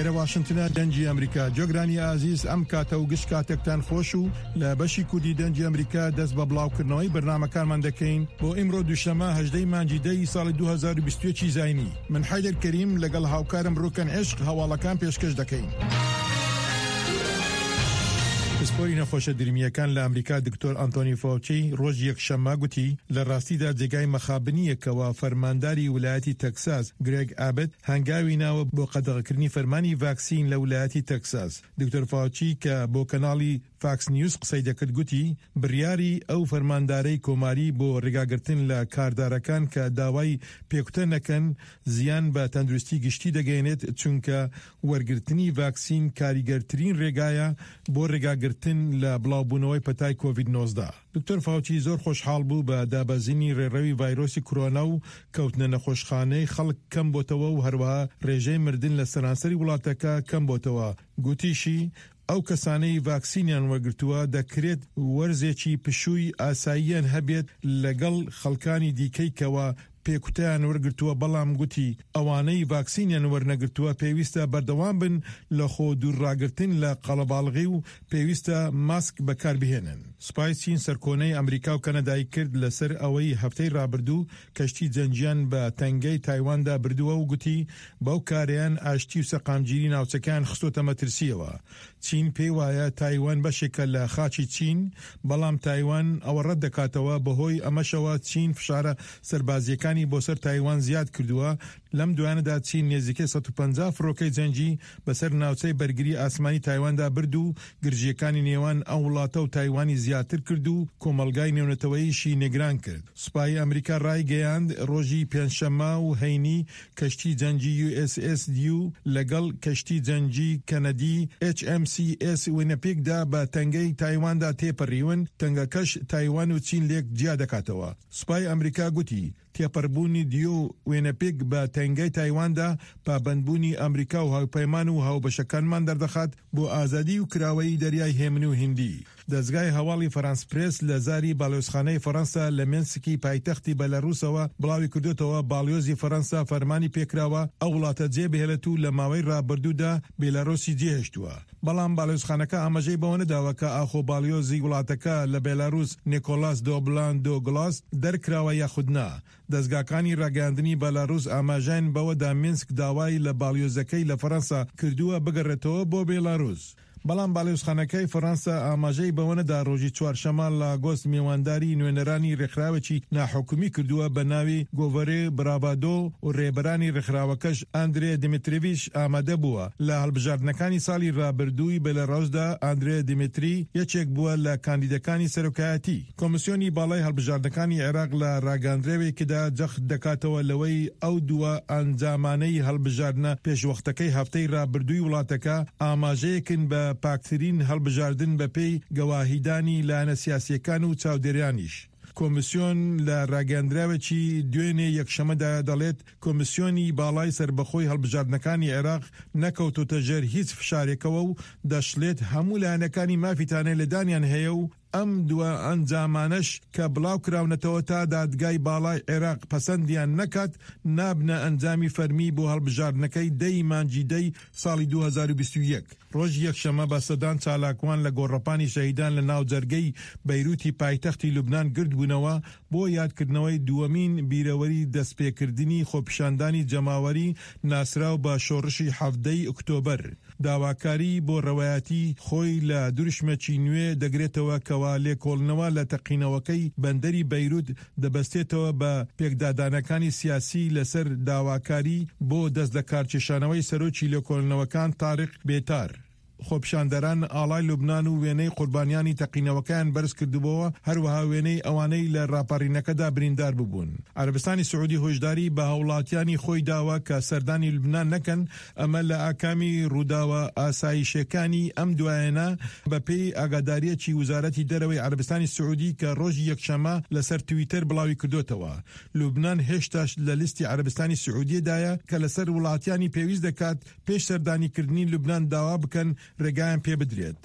ئێرە واشنتنە دەنگی ئەمریکا. جۆگرانی ئازیز ئەم کاتە و گشت کاتێکتان خۆش و لە بەشی کوردی دەنگی ئەمریکا دەست بە بڵاوکردنەوەی بەرنامەکانمان دەکەین بۆ ئیمڕۆ دووشەمە هەژدە ی مانگی دە ی ساڵی 2021 ی زاینی. من حەیدەر کەریم لەگەڵ هاوکارم ڕوکەن عشق هەواڵەکان پێشکەش دەکەین. پسپۆری نەخۆشە درمییەکان لە ئەمریکا دکتۆر ئەنتۆنی فاوچی ڕۆژی یەکشەممە گوتی لە ڕاستیدا جێگای مەخابنییە کەوا فەرمانداری ولایەتی تەکساس گرێگ ئابت هەنگاوی ناوە بۆ قەدەغەکردنی فەرمانی ڤاکسین لە ولایەتی تەکساس. دکتۆر فاوچی کە بۆ کەناڵی فاکس نیوز قسەی دەکرد گوتی بڕیاری ئەو فەرماندارەی کۆماری بۆ ڕێگاگرتن لە کاردارەکان کە داوای پێکوتە نەکەن زیان بە تەندروستی گشتی دەگەیەنێت چونکە وەرگرتنی ڤاکسین کاریگەرترین ڕێگایە بۆ ڕێگاگرتن لە بڵاوبوونەوەی پەتای کۆڤید 19. دکتۆر فاوچی زۆر خۆشحاڵ بوو بە دابەزینی ڕێڕەوی ڤایرۆسی کرۆنا و کەوتنە نەخۆشخانەی خەڵک کەم بۆتەوە و هەروەها ڕێژەی مردن لە سەرانسەری وڵاتەکە کەم بۆتەوە. گوتیشی، ئەو کەسانەی ڤاکسینیان وەرگرتووە دەکرێت وەرزێکی پشووی ئاساییان هەبێت لەگەڵ خەڵکانی دیکەی کەوا پێکوتەیان وەرگرتووە، بەڵام گوتی ئەوانەی ڤاکسینیان وەرنەگرتووە پێویستە بەردەوام بن لە خۆ دوورڕاگرتن لە قەڵەباڵغی و پێویستە ماسک بەکاربهێنن. سوپای چین سەرکۆنەی ئەمریکا و کەنەدای کرد لەسەر ئەوەی هەفتەی رابردوو کەشتی جەنگیان بە تەنگەی تایواندا بردووە و گوتی بەو کارەیان ئاشتی و سەقامگیری ناوچەکەیان خستۆتە مەترسییەوە. چین پێی وایە تایوان بەشێکە لە خاکی چین، بەڵام تایوان ئەوە ڕەت دەکاتەوە، بەهۆی ئەمەشەوە چین فشارە سەربازییەکانی بۆ سەر تایوان زیاد کردووە، لەم دوایانەدا چین نێزیکەی 150 فڕۆکەی جەنگی بەسەر ناوچەی بەرگری ئاسمانی تایواندا برد و گرژییەکانی نێوان ئەو وڵاتە و تایوانی زیاتر کرد و کۆمەڵگای نێونەتەوەییشی نیگران کرد. سوپای ئەمریکا ڕایگەیاند، ڕۆژی پێنجشەممە و هەینی کەشتی جەنگی یو ئێس ئێس دیو لەگەڵ کەشتی جەنگی کەنەدی ئێچ ئێم سی ئێس وینەپیگدا بە تەنگەی تایواندا تێپەڕیون، تەنگەکەش تایوان و چین لێک جیا دەکاتەوە. سوپای ئەمریکا گوتی، تێپەڕبوونی دیو و وینەپیگ بە تەنگەی تایواندا پابەندبوونی ئەمریکا و هاوپەیمان و هاوبەشەکانمان دەردەخات بۆ ئازادی و کراوەیی دەریای هێمن و هیندی. دەزگای هەواڵی فەرانس پرێس لە زاری باڵیۆزخانەی فەرەنسا لە مێنسکی پایتەختی بەلاروسەوە بڵاویکردۆتەوە، باڵیۆزی فەرەنسا فەرمانی پێکراوە ئەو وڵاتە جێبهێڵێت و لە ماوەی رابردوودا بێلاروسی جێهێشتووە. بەڵام باڵیۆزخانەکە ئاماژەی بەوە نەداوە کە ئاخۆ باڵیۆزی وڵاتەکە لە بێلاروس نیکۆلاس دۆبلان دۆ گڵاس دەرکراوە یاخود نا. دەزگاکانی راگەیاندنی بەلاروس ئاماژەیان بەوەدا مینسک داوای لە باڵیۆزەکەی لە فەرەنسا کردووە بگەڕێتەوە بۆ بێلاروس. بەڵام باڵیۆزخانەکەی فەڕەنسا ئاماژەی بەوە نەدا ڕۆژی چوارشەممە لاگۆس میوانداری نوێنەرانی ڕێکخراوێکی ناحکومی کردووە بە ناوی گۆڤەرێ براڤادۆ و ڕێبەرانی ڕێکخراوەکەش ئاندرێ دیمیتریڤیش ئامادە بووە. لە هەڵبژاردنەکانی ساڵی ڕابردووی بێلاڕوسدا ئاندرێ دیمیتری یەکێک بووە لە کاندیدەکانی سەرۆکایەتی. کۆمیسیۆنی باڵای هەڵبژاردنەکانی عێراق لە راگەندراوێکدا جەخت دەکاتەوە لەوەی ئەو دوا ئەنجامانەی هەڵبژاردنە پێشوەختەکەی هەفتەی رابردووی وڵاتەکە ئاماژەیەکن بە پاکترین هەڵبژاردن بەپێی گەواهیدانی لایەنە سیاسییەکان و چاودێرانیش. کۆمیسیۆن لە راگەیاندراوێکی دوێنێ یەکشەمەدا دەڵێت، کۆمیسیۆنی باڵای سەربەخۆی هەڵبژاردنەکانی عێراق نەکەوتۆتە ژێر هیچ فشارێکەوە و دەشڵێت، هەموو لایەنەکانی مافی تانەلێدانیان هەیە و ئەم دوا ئەنجامانەش کە بڵاوکراونەتەوە تا دادگای باڵای عێراق پەسەندیان نەکات نابنە ئەنجامی فەرمی بۆ هەڵبژاردنەکەی دە ی مانگی دە ی ساڵی 2021. ڕۆژی یەکشەممە بە سەدان چالاکوان لە گۆڕەپانی شەهیدان لە ناوجەرگەی بەیروتی پایتەختی لوبنان گردبوونەوە بۆ یادکردنەوەی دووەمین بیرەوەری دەستپێکردنی خۆپیشاندانی جەماوەری ناسراو بە شۆڕشی 17 ی ئۆکتۆبەر. داواکاری بۆ ڕەوایەتی خۆی لە دروشمێکی نوێ دەگرێتەوە کەوا لێکۆڵینەوە لە تەقینەوەکەی بەندەری بەیروت دەبەستێتەوە بە پێکدادانەکانی سیاسی لەسەر داواکاری بۆ دەستلەکارکێشانەوەی سەرۆکی لێکۆڵینەوەکان تاریق بێتار. خۆپیشاندەران ئاڵای لوبنان و وێنەی قوربانیانی تەقینەوەکەیان بەرزکردبۆوە، هەروەها وێنەی ئەوانەی لە ڕاپەڕینەکەدا بریندار ببوون. عەرەبستانی سعودی هۆشداری بە هاوڵاتیانی خۆی داوە کە سەردانی لوبنان نەکەن، ئەمە لە ئاکامی ڕووداوە ئاسایشیەکانی ئەم دوایەنە، بەپێی ئاگادارییەکی وزارەتی دەرەوەی عەرەبستانی سعودی کە ڕۆژی یەکشەممە لەسەر تویتەر بڵاویکردۆتەوە، لوبنان هێشتاش لە لیستی عەرەبستانی سعودیەدایە کە لەسەر وڵاتیانی پێویست دەکات پێش سەردانیکردنی لوبنان داوا بکەن ڕێگایان پێبدرێت.